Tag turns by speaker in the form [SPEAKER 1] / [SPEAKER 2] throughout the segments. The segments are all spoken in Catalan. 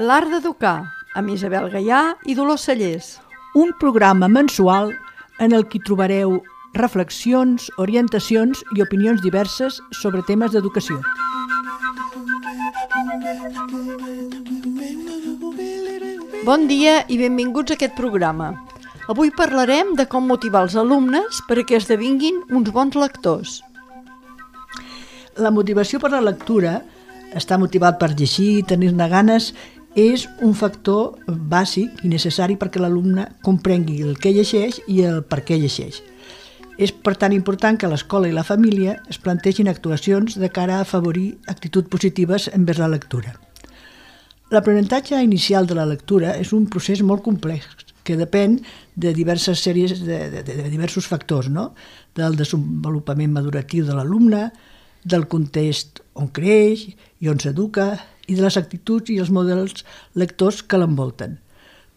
[SPEAKER 1] L'art d'educar, amb Isabel Gaià i Dolors Cellers.
[SPEAKER 2] Un programa mensual en el que trobareu reflexions, orientacions i opinions diverses sobre temes d'educació.
[SPEAKER 1] Bon dia i benvinguts a aquest programa. Avui parlarem de com motivar els alumnes perquè esdevinguin uns bons lectors.
[SPEAKER 2] La motivació per la lectura, estar motivat per llegir, tenir-ne ganes, és un factor bàsic i necessari perquè l'alumne comprengui el que llegeix i el per què llegeix. És per tant important que l'escola i la família es plantegin actuacions de cara a afavorir actituds positives envers la lectura. L'aprenentatge inicial de la lectura és un procés molt complex que depèn de diverses sèries de diversos factors, no? Del desenvolupament maduratiu de l'alumne, del context on creix i on s'educa i de les actituds i els models lectors que l'envolten.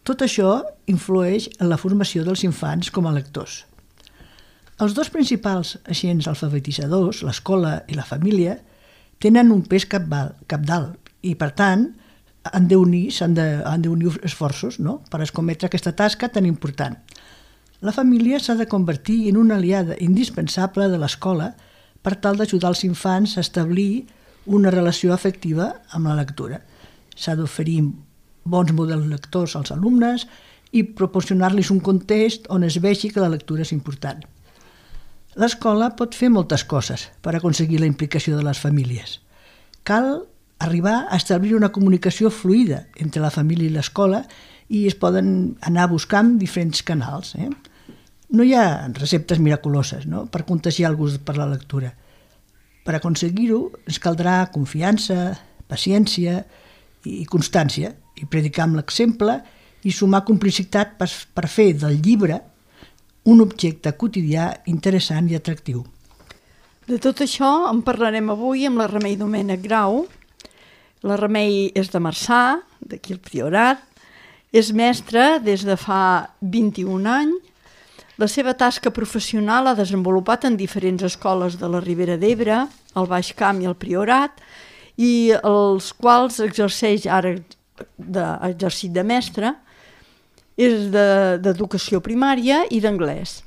[SPEAKER 2] Tot això influeix en la formació dels infants com a lectors. Els dos principals agents alfabetitzadors, l'escola i la família, tenen un pes cabdal i, per tant, han d'unir esforços, no?, per escometre aquesta tasca tan important. La família s'ha de convertir en una aliada indispensable de l'escola per tal d'ajudar els infants a establir una relació afectiva amb la lectura. S'ha d'oferir bons models lectors als alumnes i proporcionar-los un context on es vegi que la lectura és important. L'escola pot fer moltes coses per aconseguir la implicació de les famílies. Cal arribar a establir una comunicació fluida entre la família i l'escola i es poden anar buscant diferents canals. No hi ha receptes miraculoses, no?, per contagiar el gust per la lectura. Per aconseguir-ho ens caldrà confiança, paciència i constància, i predicar amb l'exemple i sumar complicitat per fer del llibre un objecte quotidià interessant i atractiu.
[SPEAKER 1] De tot això en parlarem avui amb la Remei Domènech Grau. La Remei és de Marçà, d'aquí al Priorat, és mestra des de fa 21 anys. La seva tasca professional l'ha desenvolupat en diferents escoles de la Ribera d'Ebre, al Baix Camp i al Priorat, i els quals exerceix ara exercit de mestra, és d'educació primària i d'anglès,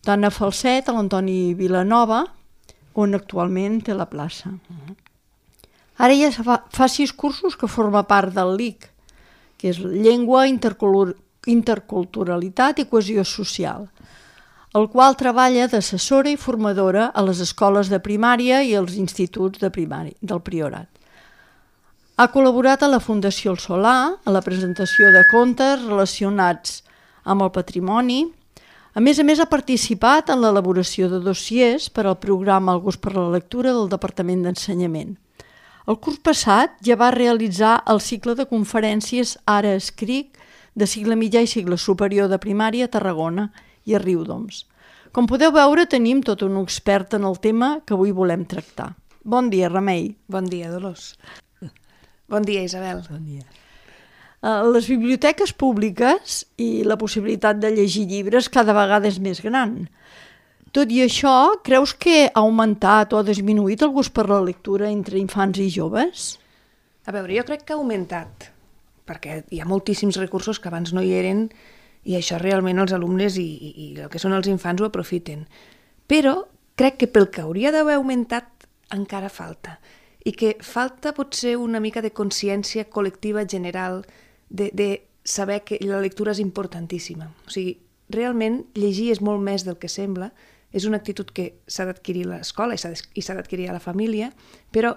[SPEAKER 1] tant a Falset, a l'Antoni Vilanova, on actualment té la plaça. Ara ja fa 6 cursos que forma part del LIC, que és Llengua, Interculturalitat i Cohesió Social, el qual treballa d'assessora i formadora a les escoles de primària i als instituts de primària del Priorat. Ha col·laborat a la Fundació El Solà, a la presentació de contes relacionats amb el patrimoni. A més, ha participat en l'elaboració de dossiers per al programa El gust per la lectura del Departament d'Ensenyament. El curs passat ja va realitzar el cicle de conferències Ara escric, de cicle mitjà i cicle superior de primària a Tarragona i a Riudoms. Com podeu veure, tenim tot un expert en el tema que avui volem tractar. Bon dia, Remei.
[SPEAKER 3] Bon dia, Dolors. Bon dia, Isabel.
[SPEAKER 2] Bon dia.
[SPEAKER 1] Les biblioteques públiques i la possibilitat de llegir llibres cada vegada és més gran. Tot i això, creus que ha augmentat o ha disminuït el gust per la lectura entre infants i joves?
[SPEAKER 3] A veure, jo crec que ha augmentat, perquè hi ha moltíssims recursos que abans no hi eren i això realment els alumnes i el que són els infants ho aprofiten. Però crec que pel que hauria d'haver augmentat encara falta, i que falta potser una mica de consciència col·lectiva general de saber que la lectura és importantíssima. O sigui, realment llegir és molt més del que sembla, és una actitud que s'ha d'adquirir a l'escola i s'ha d'adquirir a la família, però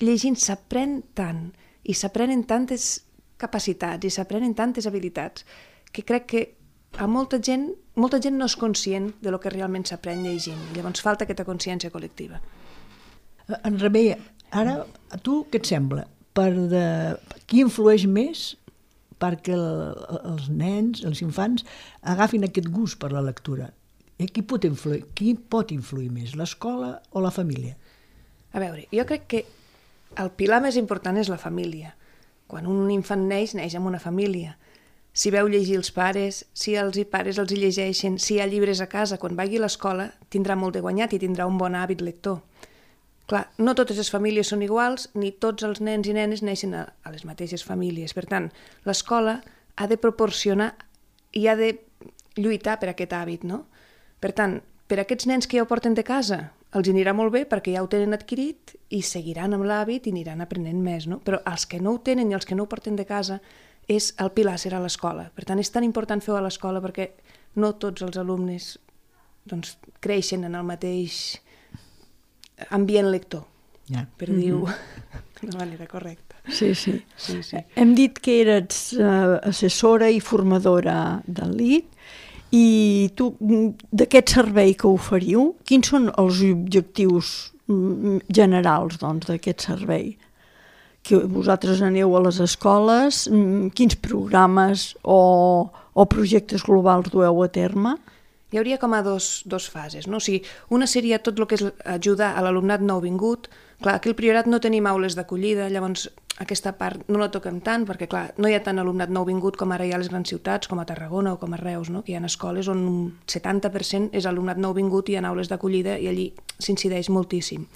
[SPEAKER 3] llegint s'aprèn tant i s'aprenen tantes capacitats i s'aprenen tantes habilitats que crec que a molta gent no és conscient de lo que realment s'aprèn llegint. Llavors falta aquesta consciència col·lectiva.
[SPEAKER 2] En Remei, ara a tu què et sembla? Qui influeix més perquè els nens, els infants, agafin aquest gust per la lectura? Qui pot influir més, l'escola o la família?
[SPEAKER 3] A veure, jo crec que el pilar més important és la família. Quan un infant neix amb una família. Si veu llegir els pares, si els pares els llegeixen, si hi ha llibres a casa, quan vagi a l'escola tindrà molt de guanyat i tindrà un bon hàbit lector. Clar, no totes les famílies són iguals, ni tots els nens i nenes neixen a les mateixes famílies. Per tant, l'escola ha de proporcionar i ha de lluitar per aquest hàbit, no? Per tant, per aquests nens que ja ho porten de casa, els anirà molt bé perquè ja ho tenen adquirit i seguiran amb l'hàbit i aniran aprenent més, no? Però els que no ho tenen i els que no ho porten de casa, el pilar serà l'escola. Per tant, és tan important fer-ho a l'escola perquè no tots els alumnes creixen en el mateix ambient lector, per dir-ho de manera correcta.
[SPEAKER 1] Sí. Hem dit que eres assessora i formadora del LIT, i tu, d'aquest servei que oferiu, quins són els objectius generals d'aquest servei? Que vosaltres aneu a les escoles, quins programes o projectes globals dueu a terme?
[SPEAKER 3] Hi hauria com a dos fases, no? O sigui, una seria tot el que és ajudar a l'alumnat nouvingut. Clar, aquí al Priorat no tenim aules d'acollida, llavors aquesta part no la toquem tant, perquè clar, no hi ha tant alumnat nouvingut com ara hi ha a les grans ciutats, com a Tarragona o com a Reus, no? Que hi ha escoles on un 70% és alumnat nouvingut i hi ha aules d'acollida i allí s'incideix moltíssim.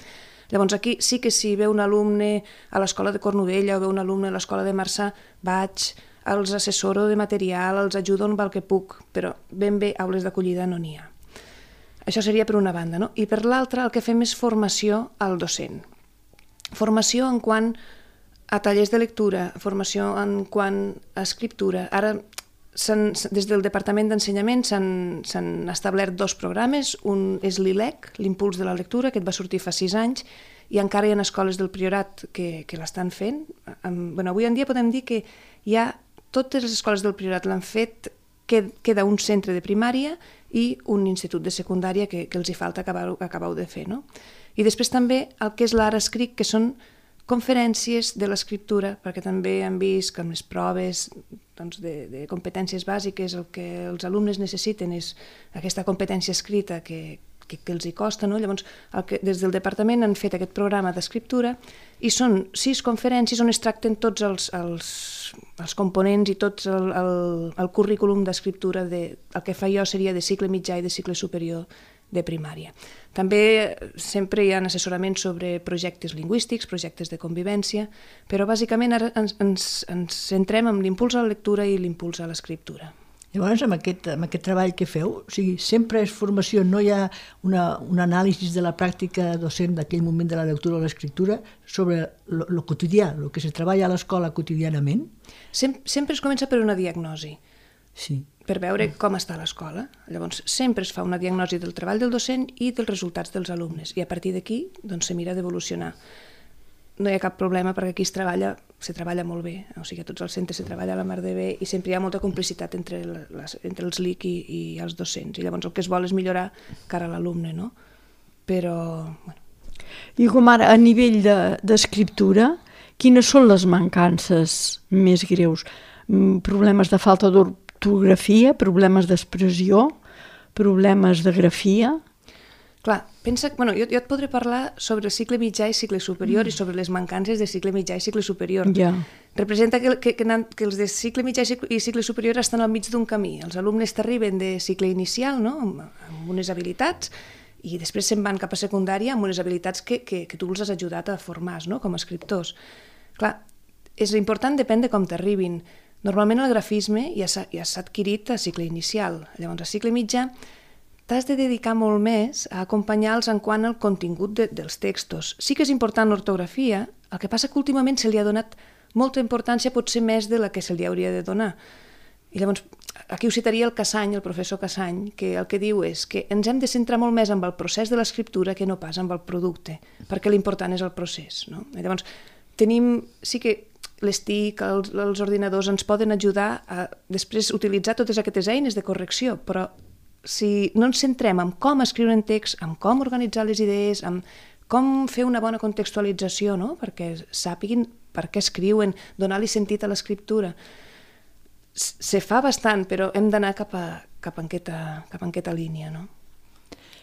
[SPEAKER 3] Llavors aquí sí que si ve un alumne a l'escola de Cornudella o ve un alumne a l'escola de Marçà, vaig, els assessoro de material, els ajudo en el que puc, però ben bé aules d'acollida no n'hi ha. Això seria per una banda, no? I per l'altra el que fem és formació al docent. Formació en quant a tallers de lectura, formació en quant a escriptura. Ara, des del Departament d'Ensenyament s'han establert 2 programes. Un és l'ILEC, l'Impuls de la Lectura, que va sortir fa 6 anys, i encara hi ha escoles del Priorat que l'estan fent. Avui en dia podem dir que hi ha totes les escoles del Priorat l'han fet, queda un centre de primària i un institut de secundària que els hi falta acabar de fer, no? I després també el que és l'Ara Escric, que són conferències de l'escriptura, perquè també hem vist que amb les proves de competències bàsiques el que els alumnes necessiten és aquesta competència escrita que els hi costa, no? Llavors, des del departament han fet aquest programa d'escriptura i són 6 conferències on es tracten tots els components i tot el currículum d'escriptura. El que fa jo seria de cicle mitjà i de cicle superior de primària. També sempre hi ha assessoraments sobre projectes lingüístics, projectes de convivència, però bàsicament ara ens centrem en l'impuls a la lectura i l'impuls a l'escriptura.
[SPEAKER 2] Llavors, amb aquest treball que feu, o sigui, sempre és formació, no hi ha un anàlisi de la pràctica docent d'aquell moment de la lectura o l'escriptura sobre el quotidià, el que se treballa a l'escola quotidianament?
[SPEAKER 3] Sempre es comença per una diagnosi, per veure com està l'escola. Llavors, sempre es fa una diagnosi del treball del docent i dels resultats dels alumnes, i a partir d'aquí se mira d'evolucionar. No hi ha cap problema perquè aquí se treballa molt bé, o sigui, a tots els centres se treballa a la mar de bé i sempre hi ha molta complicitat entre els LIC i els docents, i llavors el que es vol és millorar cara a l'alumne, no? Però...
[SPEAKER 1] I com ara, a nivell d'escriptura, quines són les mancances més greus? Problemes de falta d'ortografia, problemes d'expressió, problemes de grafia?
[SPEAKER 3] Clar, pensa... Jo et podré parlar sobre el cicle mitjà i cicle superior i sobre les mancances de cicle mitjà i cicle superior. Representa que els de cicle mitjà i cicle superior estan al mig d'un camí. Els alumnes t'arriben de cicle inicial, no?, amb unes habilitats, i després se'n van cap a secundària amb unes habilitats que tu els has ajudat a formar, no?, com a escriptors. Clar, és important, depèn de com t'arribin. Normalment el grafisme ja s'ha adquirit a cicle inicial. Llavors, a cicle mitjà t'has de dedicar molt més a acompanyar-los en quant al contingut dels textos. Sí que és important l'ortografia, el que passa que últimament se li ha donat molta importància, potser més de la que se li hauria de donar. I llavors, aquí ho citaria el Cassany, el professor Cassany, que el que diu és que ens hem de centrar molt més en el procés de l'escriptura que no pas en el producte, perquè l'important és el procés, no? I llavors, sí que les TIC, els ordinadors ens poden ajudar a després utilitzar totes aquestes eines de correcció, però si no ens centrem en com escriure un text, en com organitzar les idees, en com fer una bona contextualització, no?, perquè sàpiguin per què escriuen, donar-li sentit a l'escriptura. Se fa bastant, però hem d'anar cap en aquesta línia, no?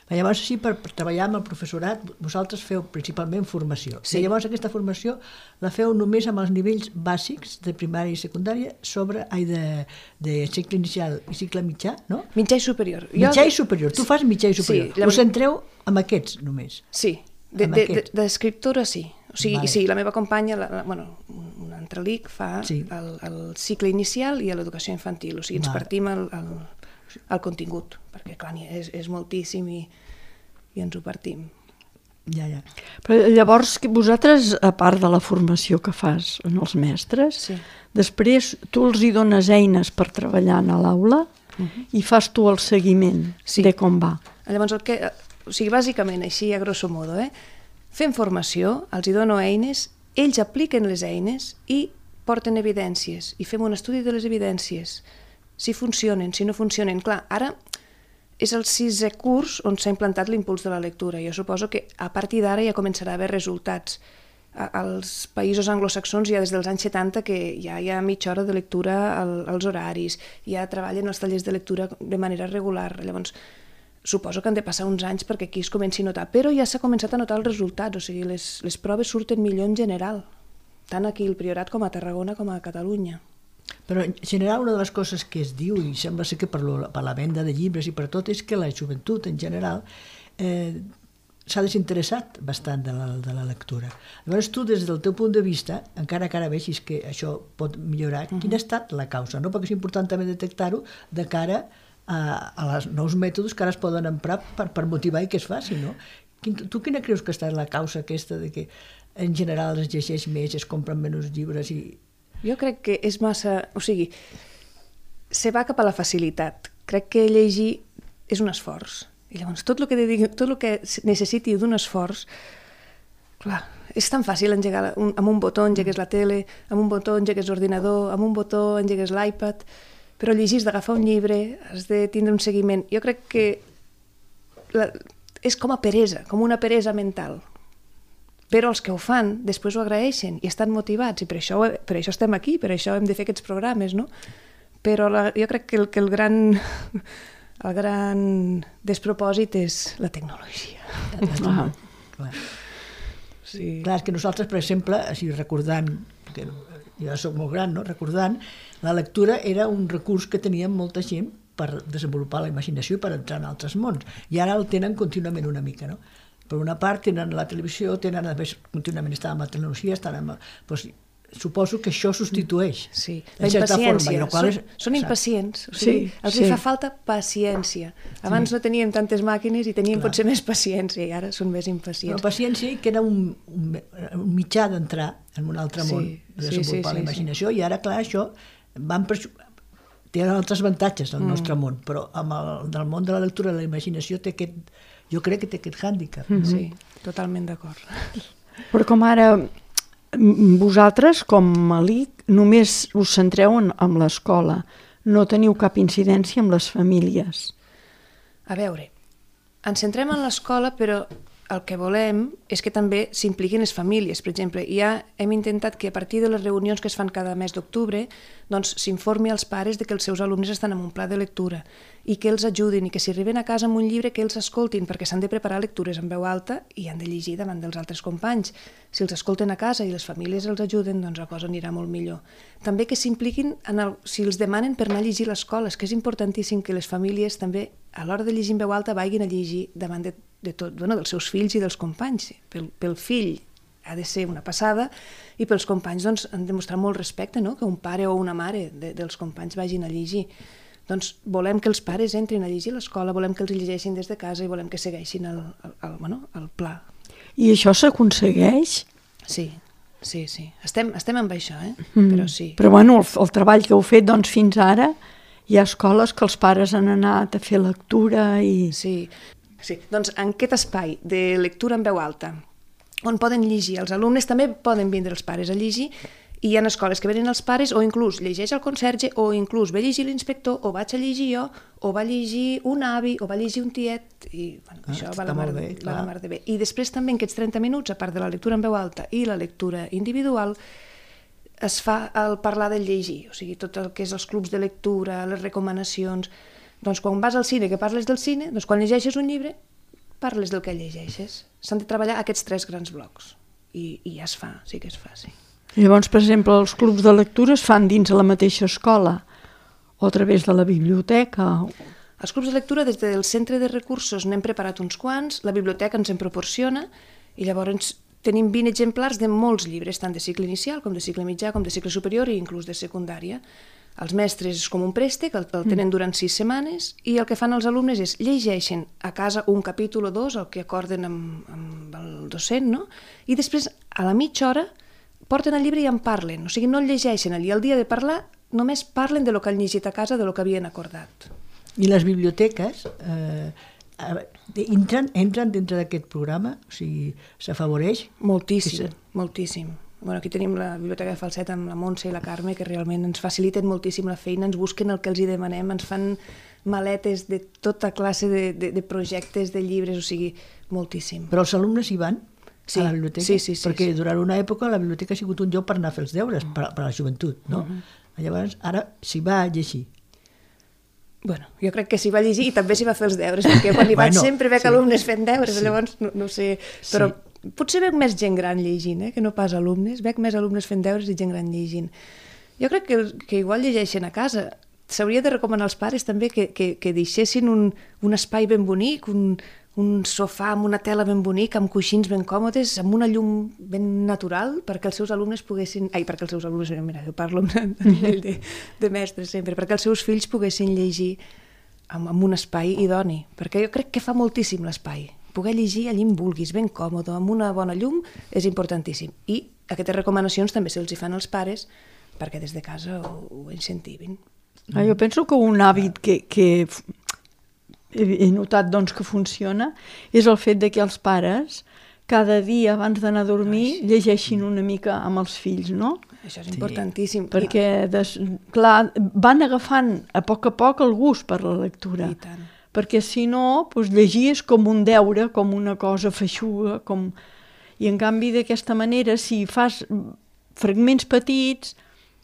[SPEAKER 2] Llavors, així, per treballar amb el professorat, vosaltres feu principalment formació.
[SPEAKER 3] Sí.
[SPEAKER 2] I llavors aquesta formació la feu només amb els nivells bàsics de primària i secundària de cicle inicial i cicle mitjà, no?
[SPEAKER 3] Mitjà i superior.
[SPEAKER 2] Mitjà i superior. Tu fas mitjà i superior.
[SPEAKER 3] Sí, llavors...
[SPEAKER 2] Us centreu amb aquests només.
[SPEAKER 3] Sí. D'escriptora sí. O sigui,
[SPEAKER 2] Vale.
[SPEAKER 3] sí, la meva companya, un altre LIC fa
[SPEAKER 2] Sí.
[SPEAKER 3] el cicle inicial i l'educació infantil. O sigui, ens
[SPEAKER 2] Vale.
[SPEAKER 3] partim el contingut, perquè clar, és moltíssim i ens ho partim.
[SPEAKER 2] Ja.
[SPEAKER 1] Però llavors, vosaltres, a part de la formació que fas en els mestres,
[SPEAKER 3] Sí.
[SPEAKER 1] després tu els hi dones eines per treballar a l'aula i fas tu el seguiment
[SPEAKER 3] Sí.
[SPEAKER 1] de com va.
[SPEAKER 3] Llavors, o sigui, bàsicament, així a grosso modo, fem formació, els hi dono eines, ells apliquen les eines i porten evidències, i fem un estudi de les evidències, si funcionen, si no funcionen. Clar, ara és el 6è curs on s'ha implantat l'impuls de la lectura. Jo suposo que a partir d'ara ja començarà a haver resultats. Als països anglosaxons ja des dels anys 70 que ja hi ha mitja hora de lectura als horaris, ja treballen els tallers de lectura de manera regular. Llavors, suposo que han de passar uns anys perquè aquí es comenci a notar, però ja s'ha començat a notar els resultats, o sigui, les proves surten millor en general, tant aquí al Priorat com a Tarragona com a Catalunya.
[SPEAKER 2] Però en general una de les coses que es diu, i sembla ser que per la venda de llibres i per tot, és que la joventut en general s'ha desinteressat bastant de la lectura. Llavors tu, des del teu punt de vista, encara que ara vegis que això pot millorar, quina ha estat la causa? No? Perquè és important també detectar-ho de cara a els nous mètodes que ara es poden emprar per motivar i que es faci, no? Tu quina creus que ha estat la causa aquesta de que en general es llegeix més, es compren menys llibres i...
[SPEAKER 3] Jo crec que és massa... O sigui, se va cap a la facilitat. Crec que llegir és un esforç. I llavors tot el que necessiti d'un esforç, clar, és tan fàcil engegar amb un botó engegues la tele, amb un botó engegues l'ordinador, amb un botó engegues l'iPad, però llegir has d'agafar un llibre, has de tindre un seguiment. Jo crec que és com a peresa, com una peresa mental. Però els que ho fan després ho agraeixen i estan motivats, i per això estem aquí, per això hem de fer aquests programes, no? Però jo crec que el gran despropòsit és la tecnologia.
[SPEAKER 2] Clar.
[SPEAKER 3] Sí.
[SPEAKER 2] Clar, és que nosaltres, per exemple, així recordant, que jo soc molt gran, no? Recordant, la lectura era un recurs que teníem molta gent per desenvolupar la imaginació i per entrar en altres mons. I ara el tenen contínuament una mica, no? Per una part tenen la televisió, contínuament estan amb la tecnologia, doncs, suposo que això substitueix.
[SPEAKER 3] Sí,
[SPEAKER 2] la
[SPEAKER 3] impaciència. Són impacients. O sigui, els hi fa falta paciència. Abans no teníem tantes màquines i teníem potser més paciència, i ara són més impacients.
[SPEAKER 2] Però paciència que era un mitjà d'entrar en un altre món, de desenvolupar la imaginació, i ara, clar, això té altres avantatges del nostre món, però amb el món de la lectura i la imaginació jo crec que té aquest hàndicap.
[SPEAKER 3] Sí, totalment d'acord.
[SPEAKER 1] Però com ara vosaltres, com a LIC, només us centreu en l'escola, no teniu cap incidència amb les famílies.
[SPEAKER 3] A veure, ens centrem en l'escola, però el que volem és que també s'impliquin les famílies. Per exemple, ja hem intentat que a partir de les reunions que es fan cada mes d'octubre doncs s'informi als pares de que els seus alumnes estan en un pla de lectura i que els ajudin, i que si arriben a casa amb un llibre que els escoltin, perquè s'han de preparar lectures en veu alta i han de llegir davant dels altres companys. Si els escolten a casa i les famílies els ajuden, doncs la cosa anirà molt millor. També que s'impliquin si els demanen per anar a llegir a l'escola, és que és importantíssim que les famílies també a l'hora de llegir en veu alta vagin a llegir davant dels seus fills i dels companys. Pel fill ha de ser una passada i pels companys doncs, han de mostrar molt respecte, no? Que un pare o una mare dels companys vagin a llegir. Doncs volem que els pares entrin a llegir a l'escola, volem que els llegeixin des de casa i volem que segueixin el pla.
[SPEAKER 1] I això s'aconsegueix?
[SPEAKER 3] Sí. Estem amb això, però sí.
[SPEAKER 1] Però bueno, el treball que heu fet doncs, fins ara, hi ha escoles que els pares han anat a fer lectura i...
[SPEAKER 3] Sí. Doncs en aquest espai de lectura en veu alta, on poden llegir els alumnes, també poden vindre els pares a llegir, i hi ha escoles que venen els pares, o inclús llegeix el conserge, o inclús ve a llegir l'inspector, o vaig a llegir jo, o va llegir un avi, o va llegir un tiet, i això va la mar de bé. I després també en aquests 30 minuts, a part de la lectura en veu alta i la lectura individual, es fa el parlar del llegir, o sigui, tot el que és els clubs de lectura, les recomanacions. Doncs quan vas al cine, que parles del cine, doncs quan llegeixes un llibre, parles del que llegeixes. S'han de treballar aquests 3 grans blocs. I ja es fa, sí que es fa, sí.
[SPEAKER 1] Llavors, per exemple, els clubs de lectura es fan dins de la mateixa escola o a través de la biblioteca?
[SPEAKER 3] Els clubs de lectura, des del centre de recursos n'hem preparat uns quants, la biblioteca ens en proporciona, I llavors tenim 20 exemplars de molts llibres, tant de cicle inicial com de cicle mitjà, com de cicle superior i inclús de secundària. Els mestres és com un préstec, el tenen durant 6 setmanes i el que fan els alumnes és llegeixen a casa un capítol o 2, el que acorden amb el docent, no? I després, a la mitja hora, porten el llibre i en parlen. O sigui, no el llegeixen allí. El dia de parlar, només parlen de lo que han llegit a casa, de lo que havien acordat.
[SPEAKER 2] I les biblioteques entren dintre d'aquest programa? O sigui, s'afavoreix?
[SPEAKER 3] Moltíssim, moltíssim. Bueno, aquí tenim la Biblioteca de Falset amb la Montse i la Carme, que realment ens faciliten moltíssim la feina, ens busquen el que els hi demanem, ens fan maletes de tota classe de projectes, de llibres, o sigui, moltíssim.
[SPEAKER 2] Però els alumnes hi van a la biblioteca?
[SPEAKER 3] Sí.
[SPEAKER 2] Perquè durant una època la biblioteca ha sigut un lloc per anar a fer els deures, per a la joventut, no? Llavors, ara s'hi va a llegir.
[SPEAKER 3] Bueno, jo crec que s'hi va llegir i també s'hi va fer els deures, perquè quan hi vaig sempre veig alumnes fent deures, llavors no sé, però potser veig més gent gran llegint, que no pas alumnes, veig més alumnes fent deures i gent gran llegint. Jo crec que igual llegeixen a casa. S'hauria de recomanar als pares també que deixessin un espai ben bonic, un sofà amb una tela ben bonica, amb coixins ben còmodes, amb una llum ben natural, perquè els seus alumnes poguessin... perquè els seus alumnes, mira, jo parlo a nivell de mestres sempre, perquè els seus fills poguessin llegir amb un espai idoni, perquè jo crec que fa moltíssim l'espai. Poder llegir allí on vulguis, ben còmode, amb una bona llum, és importantíssim. I aquestes recomanacions també se'ls hi fan als pares perquè des de casa ho incentivin.
[SPEAKER 1] Jo penso que un hàbit que he notat doncs, que funciona és el fet de que els pares cada dia abans d'anar a dormir llegeixin una mica amb els fills, no?
[SPEAKER 3] Això és importantíssim.
[SPEAKER 1] Perquè, clar, van agafant a poc el gust per la lectura.
[SPEAKER 3] I tant.
[SPEAKER 1] Perquè si no, doncs, llegir és com un deure, com una cosa feixuga, i en canvi d'aquesta manera, si fas fragments petits,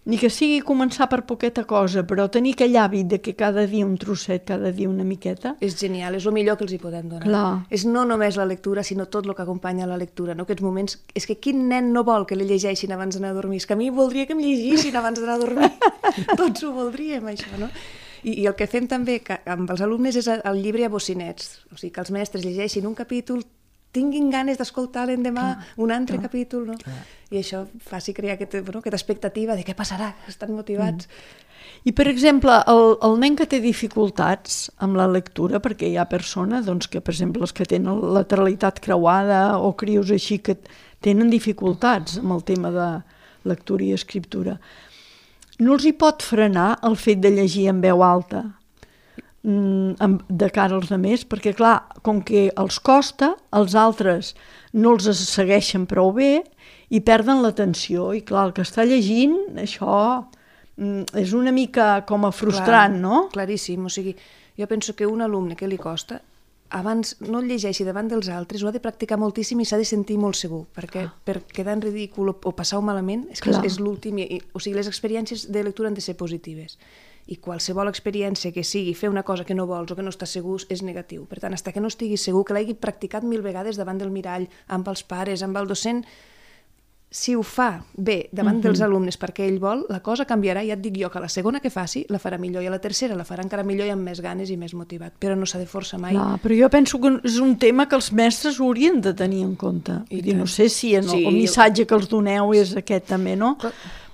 [SPEAKER 1] ni que sigui començar per poqueta cosa, però tenir aquell hàbit de que cada dia un trosset, cada dia una miqueta...
[SPEAKER 3] És genial, és el millor que els hi podem donar.
[SPEAKER 1] Clar.
[SPEAKER 3] És no només la lectura, sinó tot el que acompanya la lectura, no? Aquests moments... És que quin nen no vol que li llegeixin abans d'anar a dormir? És que a mi voldria que em llegissin abans d'anar a dormir. Tots ho voldríem, això, no? I el que fem també amb els alumnes és el llibre a bocinets, o sigui, que els mestres llegeixin un capítol, tinguin ganes d'escoltar l'endemà un altre capítol, no? I això faci crear aquesta expectativa de què passarà, que estan motivats.
[SPEAKER 1] I, per exemple, el nen que té dificultats amb la lectura, perquè hi ha persones doncs, que, per exemple, els que tenen lateralitat creuada o crios així que tenen dificultats amb el tema de lectura i escriptura, no els hi pot frenar el fet de llegir en veu alta de cara als altres, perquè clar, com que els costa, els altres no els segueixen prou bé i perden l'atenció, i clar, el que està llegint, això és una mica com a frustrant, no?
[SPEAKER 3] Claríssim, o sigui, jo penso que un alumne que li costa, abans no el llegeixi davant dels altres, ho ha de practicar moltíssim i s'ha de sentir molt segur, perquè per quedar en ridícul o passar-ho malament és que és l'últim, o sigui, les experiències de lectura han de ser positives. I qualsevol experiència que sigui fer una cosa que no vols o que no estàs segur és negatiu. Per tant, fins que no estiguis segur, que l'hagi practicat 1000 vegades davant del mirall, amb els pares, amb el docent, si ho fa bé davant dels alumnes perquè ell vol, la cosa canviarà, ja et dic jo, que la segona que faci la farà millor i a la tercera la farà encara millor i amb més ganes i més motivat, però no s'ha de forçar mai.
[SPEAKER 1] Clar, però jo penso que és un tema que els mestres haurien de tenir en compte. No sé si el missatge que els doneu és aquest també, no?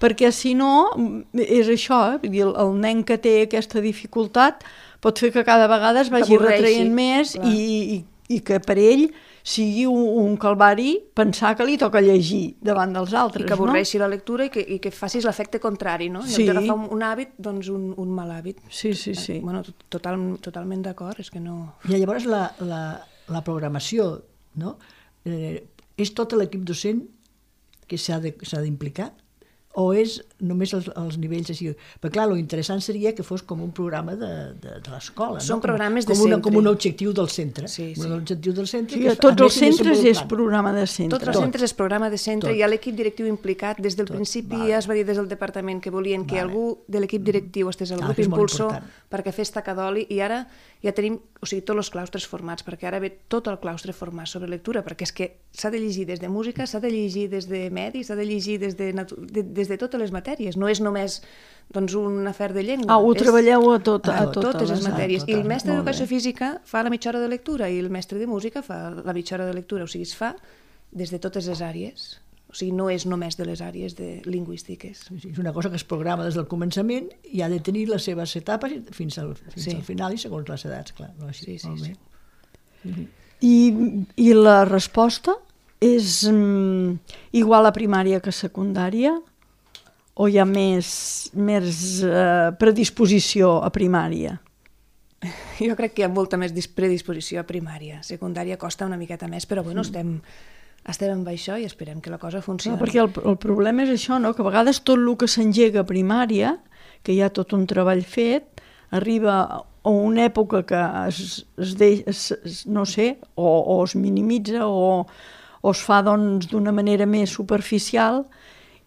[SPEAKER 1] Perquè si no, és això, el nen que té aquesta dificultat pot fer que cada vegada es vagi retraient més i que per ell sigui un calvari pensar que li toca llegir davant dels altres, no?
[SPEAKER 3] I que avorreixi la lectura i que facis l'efecte contrari, no? En lloc d'agafar un hàbit, doncs un mal hàbit.
[SPEAKER 1] Sí.
[SPEAKER 3] Bueno, totalment d'acord, és que no...
[SPEAKER 2] I llavors la programació, no? És tot l'equip docent que s'ha d'implicar? O és només els nivells així? Perquè clar, l'interessant seria que fos com un programa de l'escola, no?
[SPEAKER 3] Són programes de centre.
[SPEAKER 2] Com un objectiu del centre.
[SPEAKER 3] Sí.
[SPEAKER 2] Un objectiu del centre.
[SPEAKER 1] Sí, tots els centres és programa de centre.
[SPEAKER 3] Tots els centres és programa de centre. Hi ha l'equip directiu implicat. Des del principi ja es va dir des del departament que volien que algú de l'equip directiu estés al grup impulsor perquè fes taca d'oli, i ara ja tenim, o sigui, tots els claustres formats, perquè ara ve tot el claustre format sobre lectura, perquè és que s'ha de llegir des de música, s'ha de llegir des de medi, s'ha de llegir des de totes les matèries, no és només un afer de llengua.
[SPEAKER 1] Ho treballeu a
[SPEAKER 3] totes les matèries. I el mestre d'educació física fa la mitja hora de lectura i el mestre de música fa la mitja hora de lectura, o sigui, es fa des de totes les àrees. O sigui, no és només de les àrees lingüístiques.
[SPEAKER 2] Sí, és una cosa que es programa des del començament i ha de tenir les seves etapes fins al final i segons les edats, clar. Així,
[SPEAKER 3] sí.
[SPEAKER 1] I la resposta és igual a primària que a secundària? O hi ha més predisposició a primària?
[SPEAKER 3] Jo crec que hi ha molta més predisposició a primària. Secundària costa una miqueta més, però bueno, estem amb això i esperem que la cosa funcioni.
[SPEAKER 1] No, perquè el problema és això, no? Que a vegades tot el que s'engega a primària, que hi ha tot un treball fet, arriba a una època que no sé, o es minimitza o es fa d'una manera més superficial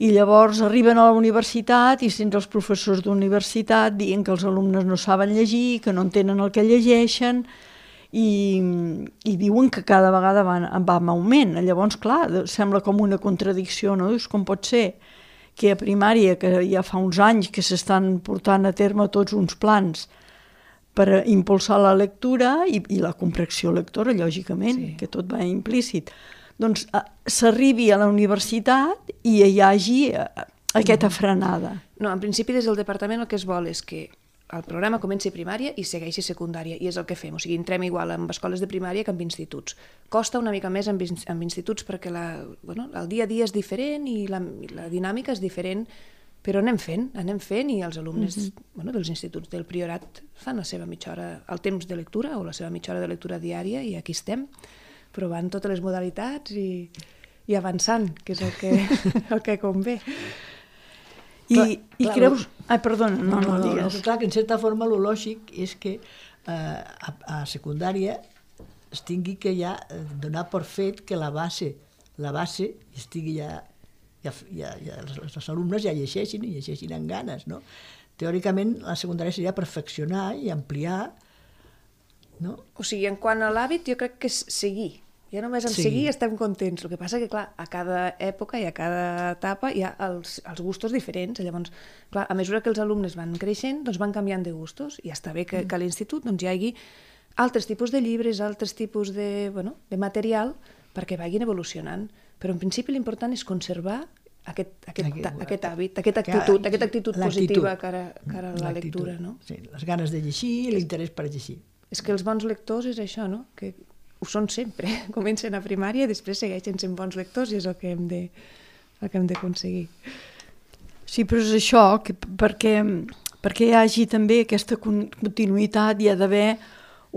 [SPEAKER 1] i llavors arriben a la universitat i sents els professors d'universitat dient que els alumnes no saben llegir, que no entenen el que llegeixen i diuen que cada vegada va en augment. Llavors, clar, sembla com una contradicció, no? Dius, com pot ser que a primària, que ja fa uns anys que s'estan portant a terme tots uns plans per impulsar la lectura i la comprensió lectora, lògicament, que tot va implícit, doncs s'arribi a la universitat i hi hagi aquesta frenada.
[SPEAKER 3] No, en principi des del departament el que es vol és que el programa comença a primària i segueixi secundària, i és el que fem. O sigui, entrem igual amb escoles de primària que amb instituts. Costa una mica més amb instituts perquè el dia a dia és diferent i la dinàmica és diferent, però anem fent i els alumnes dels instituts del Priorat fan la seva mitja hora, el temps de lectura o la seva mitja hora de lectura diària, i aquí estem provant totes les modalitats i avançant, que és el que convé.
[SPEAKER 1] I creus... Ai, perdona, no digues.
[SPEAKER 2] Clar, que en certa forma el lògic és que a secundària es tingui que ja donar per fet que la base estigui ja els alumnes ja llegeixin amb ganes, no? Teòricament la secundària seria perfeccionar i ampliar, no?
[SPEAKER 3] O sigui, en quant a l'hàbit, jo crec que és seguir. Ja només en seguir estem contents. El que passa que, clar, a cada època i a cada etapa hi ha els gustos diferents. Llavors, clar, a mesura que els alumnes van creixent, doncs van canviant de gustos, i està bé que a l'institut hi hagi altres tipus de llibres, altres tipus de material perquè vagin evolucionant. Però en principi l'important és conservar aquest hàbit, aquesta actitud positiva cara a la lectura, no?
[SPEAKER 2] Sí, les ganes de llegir i l'interès per llegir.
[SPEAKER 3] És que els bons lectors és això, no? Que ho són sempre, comencen a primària i després segueixen sent bons lectors, i és el que hem d'aconseguir.
[SPEAKER 1] Sí, però és això, que perquè hi hagi també aquesta continuïtat hi ha d'haver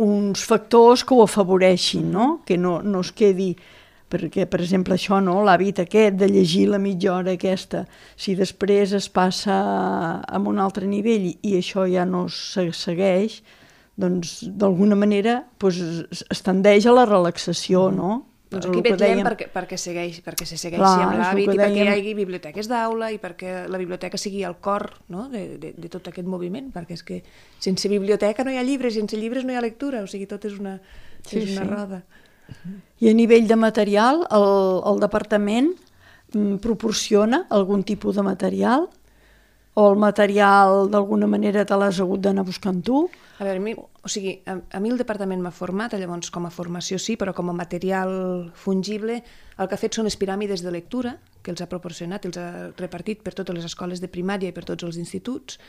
[SPEAKER 1] uns factors que ho afavoreixin, no? Que no es quedi, perquè, per exemple, això, no? L'hàbit aquest de llegir la mitja hora aquesta, si després es passa a un altre nivell i això ja no se segueix, doncs d'alguna manera es tendeix a la relaxació, no?
[SPEAKER 3] Doncs aquí vetllem perquè se segueixi amb l'hàbit i perquè hi hagi biblioteques d'aula i perquè la biblioteca sigui el cor de tot aquest moviment, perquè és que sense biblioteca no hi ha llibres, sense llibres no hi ha lectura, o sigui, tot és una roda.
[SPEAKER 1] I a nivell de material, el departament proporciona algun tipus de material? O el material d'alguna manera te l'has hagut d'anar buscant tu?
[SPEAKER 3] A veure, a mi el departament m'ha format, llavors com a formació sí, però com a material fungible el que ha fet són les piràmides de lectura, que els ha proporcionat, els ha repartit per totes les escoles de primària i per tots els instituts,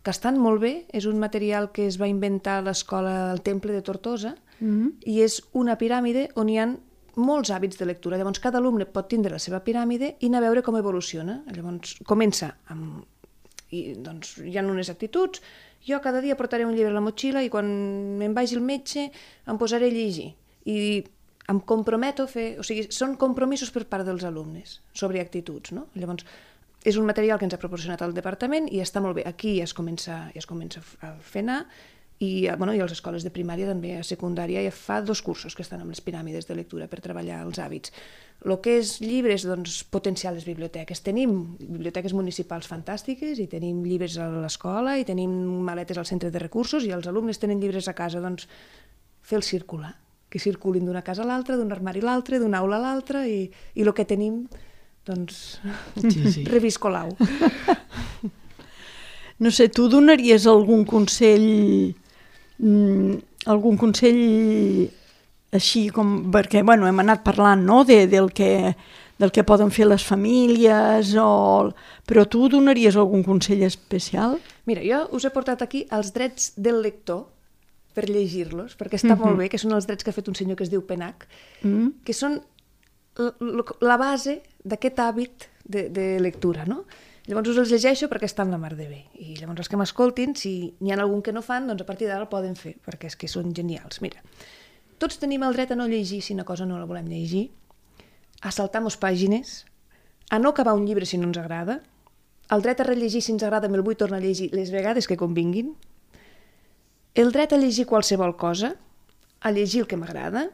[SPEAKER 3] que estan molt bé. És un material que es va inventar a l'escola al Temple de Tortosa, i és una piràmide on hi ha molts hàbits de lectura. Llavors cada alumne pot tindre la seva piràmide i anar a veure com evoluciona. Llavors comença amb... doncs hi ha unes actituds, jo cada dia portaré un llibre a la motxilla i quan me'n vagi al metge em posaré a llegir i em comprometo a fer... O sigui, són compromisos per part dels alumnes sobre actituds, no? Llavors, és un material que ens ha proporcionat el departament i està molt bé. Aquí ja es comença a fer anar i a les escoles de primària també, a secundària ja fa 2 cursos que estan amb les piràmides de lectura per treballar els hàbits. El que és llibres, doncs potenciar les biblioteques. Tenim biblioteques municipals fantàstiques i tenim llibres a l'escola i tenim maletes al centre de recursos i els alumnes tenen llibres a casa, doncs fer-los circular, que circulin d'una casa a l'altra, d'un armari a l'altre, d'una aula a l'altra i el que tenim, doncs, reviscolau.
[SPEAKER 1] No sé, tu donaries algun consell així com, perquè hem anat parlant, no?, del que poden fer les famílies, però tu donaries algun consell especial?
[SPEAKER 3] Mira, jo us he portat aquí els drets del lector per llegir-los, perquè està molt bé, que són els drets que ha fet un senyor que es diu Penach, que són la base d'aquest hàbit de lectura, no? Llavors us els llegeixo perquè estan la mar de bé. I llavors els que m'escoltin, si n'hi ha algun que no fan, doncs a partir d'ara el poden fer, perquè és que són genials. Mira, tots tenim el dret a no llegir si una cosa no la volem llegir, a saltar-nos pàgines, a no acabar un llibre si no ens agrada, el dret a rellegir si ens agrada me'l vull tornar a llegir les vegades que convinguin, el dret a llegir qualsevol cosa, a llegir el que m'agrada,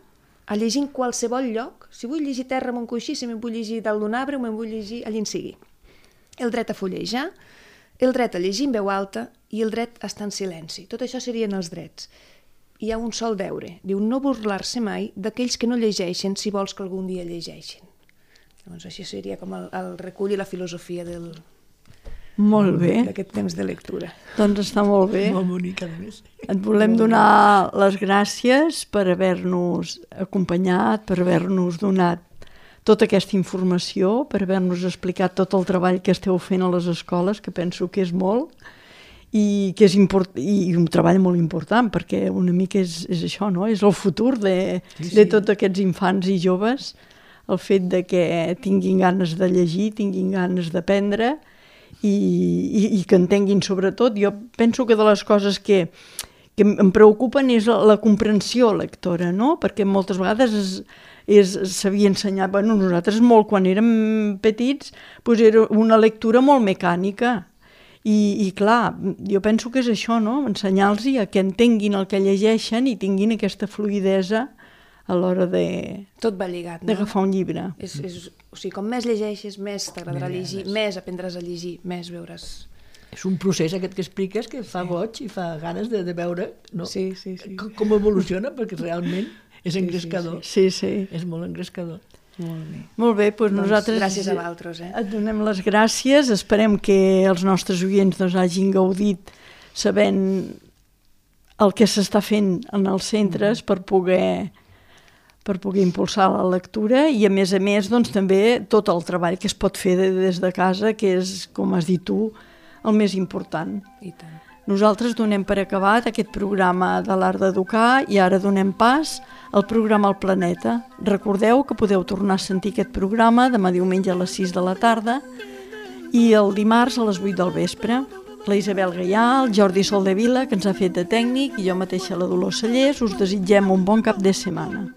[SPEAKER 3] a llegir en qualsevol lloc, si vull llegir terra amb un coixí, si me'n vull llegir dalt d'un arbre o me'n vull llegir allà en sigui. El dret a fullejar, el dret a llegir en veu alta i el dret a estar en silenci. Tot això serien els drets. Hi ha un sol deure, diu no burlar-se mai d'aquells que no llegeixen si vols que algun dia llegeixin. Llavors això seria com el recull i la filosofia d'aquest temps de lectura.
[SPEAKER 1] Doncs està molt bé.
[SPEAKER 2] Molt bonic, a més.
[SPEAKER 1] Et volem donar les gràcies per haver-nos acompanyat, per haver-nos donat tota aquesta informació, per haver-nos explicat tot el treball que esteu fent a les escoles, que penso que és molt, i que és i un treball molt important, perquè una mica és això, no? És el futur de tots aquests infants i joves, el fet de que tinguin ganes de llegir, tinguin ganes d'aprendre, i que entenguin sobretot. Jo penso que de les coses que em preocupen és la comprensió lectora, no? Perquè moltes vegades s'havia ensenyat, nosaltres molt quan érem petits, era una lectura molt mecànica, i clar, jo penso que és això, no? Ensenyar-los a que entenguin el que llegeixen i tinguin aquesta fluïdesa a l'hora
[SPEAKER 3] tot va lligat, no?
[SPEAKER 1] D'agafar un llibre.
[SPEAKER 3] O sigui, com més llegeixes, més t'agradarà llegir, més aprendràs a llegir, més veuràs...
[SPEAKER 2] És un procés aquest que expliques que fa goig i fa ganes de veure, no?
[SPEAKER 3] Sí.
[SPEAKER 2] Com evoluciona, perquè realment és engrescador.
[SPEAKER 1] Sí.
[SPEAKER 2] És molt engrescador.
[SPEAKER 1] Molt bé, doncs nosaltres
[SPEAKER 3] gràcies a vosaltres.
[SPEAKER 1] Et donem les gràcies, esperem que els nostres oients hagin gaudit sabent el que s'està fent en els centres per poder impulsar la lectura i a més doncs, també tot el treball que es pot fer des de casa, que és, com has dit tu, el més important.
[SPEAKER 3] I tant.
[SPEAKER 1] Nosaltres donem per acabat aquest programa de l'Art d'Educar i ara donem pas al programa El Planeta. Recordeu que podeu tornar a sentir aquest programa demà diumenge a les 6 de la tarda i el dimarts a les 8 del vespre. La Isabel Gaià, el Jordi Soldevila, que ens ha fet de tècnic, i jo mateixa, la Dolors Cellers, us desitgem un bon cap de setmana.